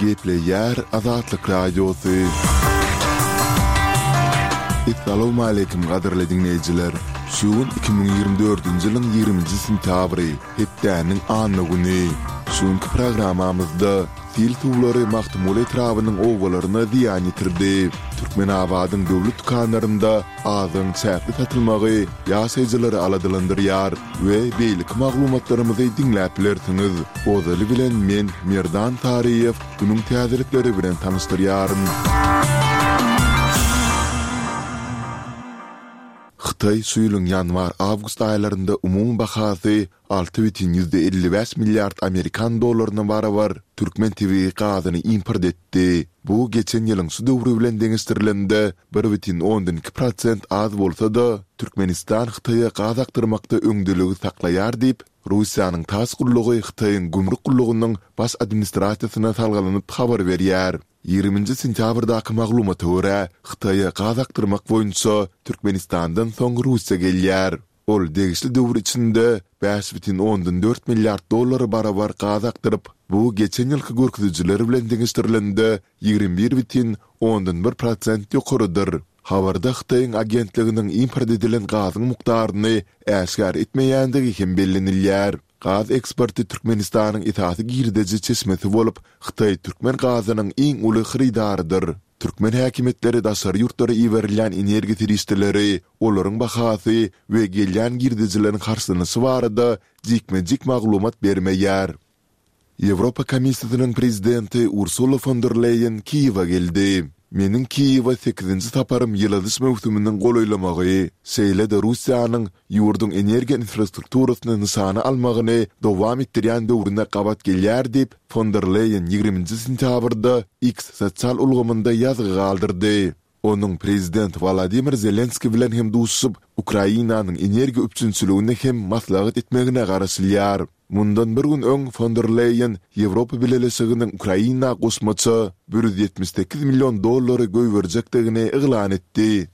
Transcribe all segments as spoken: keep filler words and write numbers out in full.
Gepleýär Azatlyk Radiosy. Essalawmaleýkim gadyrly diňleýjiler! Şu gün iki müň ýigrimi dördünji ýylyň ýigriminji sentýabry, hepdäniň anna güni. Şu günki programmamyzda sil suwlary Magtymguly etrabynyň obalaryna zyýan ýetirdi. Türkmenabadyň döwlet dükanlarynda azygyň çäkli satylmagy ýaşaýjylary aladalandyrýar we beýleki maglumatlarymyzy diňläp bilersiňiz. Ozaly bilen men, Merdan Saryýew, günüň täzelikleri bilen tanyşdyrýaryn. Hytaý şu ýylyň ýanwar-awgust aýlarynda umumy bahasy alty bütin ýüzde elli bäş milliard amerikan dollaryna barabar türkmen tebigy gazyny import etdi. Bu geçen ýylyň şu döwri bilen deňeşdirilende bir bütin ondan iki prosent az bolsa-da, Türkmenistan Hytaýa gaz akdyrmakda öňdeligi saklaýar diýip, Russiýanyň tass gullugy Hytaýyň gümrük gullugynyň baş administrasiýasyna salgylanyp habar berýär. Ýigriminji sentýabrdaky maglumata görä, Hytaýa gaz akdyrmak boýunça Türkmenistandan soň Russiýa gelýär. Ol degişli döwür içinde bäş bütin ondan dört milliard dollara barabar gaz akdyryp, bu geçen ýylky görkezijiler bilen deňeşdirilende ýigrimi bir bütin ondan bir prosent ýokarydyr. Habarda Hytaýyň agentliginiň import edilen gazyň mukdaryny äşgär etmeýändigi hem bellenilýär. Gaz eksporty Türkmenistanyň esasy girdeji çeşmesi bolup, Hytaý türkmen gazynyň iň uly hyrydarydyr. Türkmen häkimiýetleri daşary ýurtlara iberilýän energiýa serişdeleri, olaryň bahasy we gelýän girdejileriň harçlanyşy barada jikme-jik maglumat bermeýär. Ýewropa Komissiýasynyň prezidenti Ursula fon der Leýen Kiýewe geldi. Meniň Kiýewe sekizinji saparym ýyladyş möwsüminiň golaýlamagy, şeýle-de Russiýanyň ýurduň energiýa infrastrukturasyny nyşana almagyny dowam etdirýän döwrüne gabat gelýär diýip, fon der Leýen ýigriminji sentýabrda X sosial ulgamynda ýazgy galdyrdy. Onuň prezident Wolodymyr Zelenskiý bilen hem duşuşyp, Ukrainanyň energiýa üpjünçiligini hem maslahat etmegine garaşylýar. Mundan bir gün öň fon der Leýen Ýewropa Bileleşiginiň Ukraina goşmaça bir ýüz ýetmiş sekiz million dollary goýberjekdigini yglan etdi.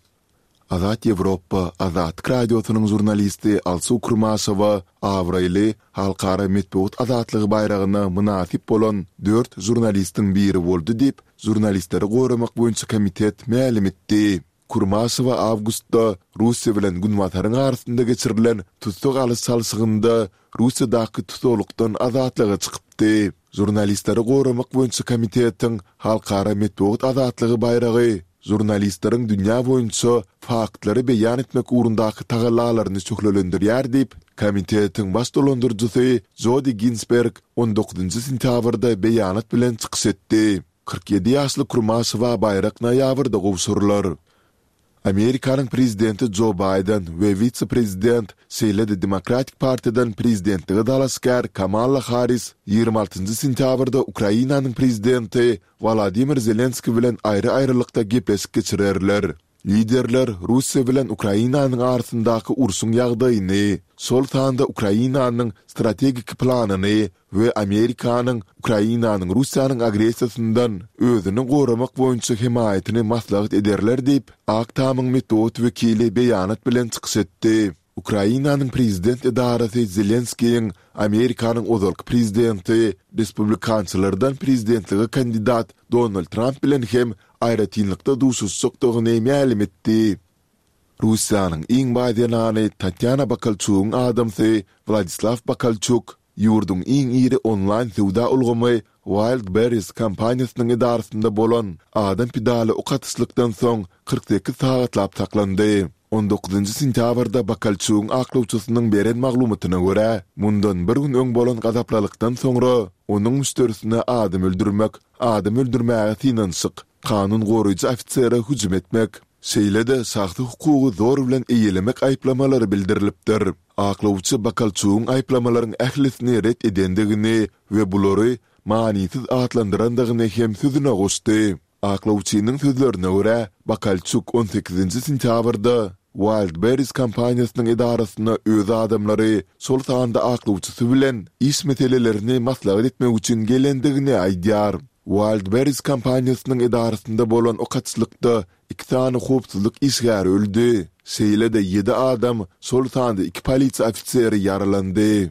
Azat Ýewropa, Azatlyk Radiosynyň žurnalisti Alsu Kurmaşowa abraýly Halkara metbugat azatlygy baýragyna mynasyp bolan dört žurnalistiň biri boldy diýip, Žurnalistleri goramak boýunça komitet mälim etdi. Kurmaşowa awgustda Russiýa bilen Günbataryň arasynda geçirilen tussag alyş-çalşygynda Russiýadaky tussaglykdan azatlyga çykypdy. Žurnalistleri goramak boýunça komitetiň Halkara metbugat azatlygy baýragy žurnalistleriň dünýä boýunça faktlary beýan etmek ugrundaky tagallalaryny şöhlelendirýär diýip, komitetiň baş dolandyryjysy Jodi Ginsberg on dokuzynjy sentýabrda beýanat bilen çykyş etdi. Kyrk ýedi ýaşly Kurmaşowa baýrak noýabrda gowşurylar. Amerikanyň prezidenti Jo Baýden we wise-prezident, şeýle-de Demokratik partiýadan prezidentlige dalaşgär Kamala Harris ýigrimi altynjy sentýabrda Ukrainanyň prezidenti Wolodymyr Zelenskiý bilen aýry-aýrylykda gepleşik geçirerler. Liderler Russiýa bilen Ukrainanyň arasyndaky urşuň ýagdaýyny, şol sanda Ukrainanyň strategik planyny we Amerikanyň Ukrainanyň Russiýanyň agressiýasyndan özüni goramak boýunça hemaýatyny maslahat ederler diýip, Ak Tamyň metbugat wekili beýanat bilen çykyş etdi. Ukrainanyň prezident edarasy Zelenskiýiň Amerikanyň ozalky prezidenti, respublikançylardan prezidentlige kandidat Donald Tramp bilen hem aýratynlykda duşuşjakdygyny mälim etdi. Russiýanyň iň baý zenany Tatýana Bakalçugyň adamsy Wladislaw Bakalçuk ýurduň iň iri onlaýn söwda ulgamy Wildberries kompaniýasynyň edarasynda bolan adam pidaly ok atyşlykdan soň kyrk sekiz sagatlap saklandy. On dokuzynjy sentýabrda Bakalçugyň aklawçysynyň beren maglumatyna görä, mundan bir gün öň bolan gazaplylykdan soňra onuň müşderisine adam öldürmek, adam öldürmäge synanyşyk, kanun goraýjy ofisere hüjüm etmek, şeýle-de şahsy hukugy zor bilen eýelemek aýyplamalary bildirilipdir. Aklawçy Bakalçugyň aýyplamalaryň ählisini ret edendigini we bulary manysyz atlandyrandygyny hem sözüne goşdy. Aklawçynyň sözlerine görä, Bakalçuk on sekizinji sentýabrda Wildberries kompaniýasynyň edarasyna öz adamlary, şol sanda aklawçysy bilen iş meselelerini maslahat etmek üçin gelendigini aýdýar. Wildberries kompaniýasynyň edarasynda bolan ok atyşlykda iki sany howpsuzlyk işgäri öldi, şeýle-de ýedi adam, şol sanda iki polisiýa ofiseri ýaralandy.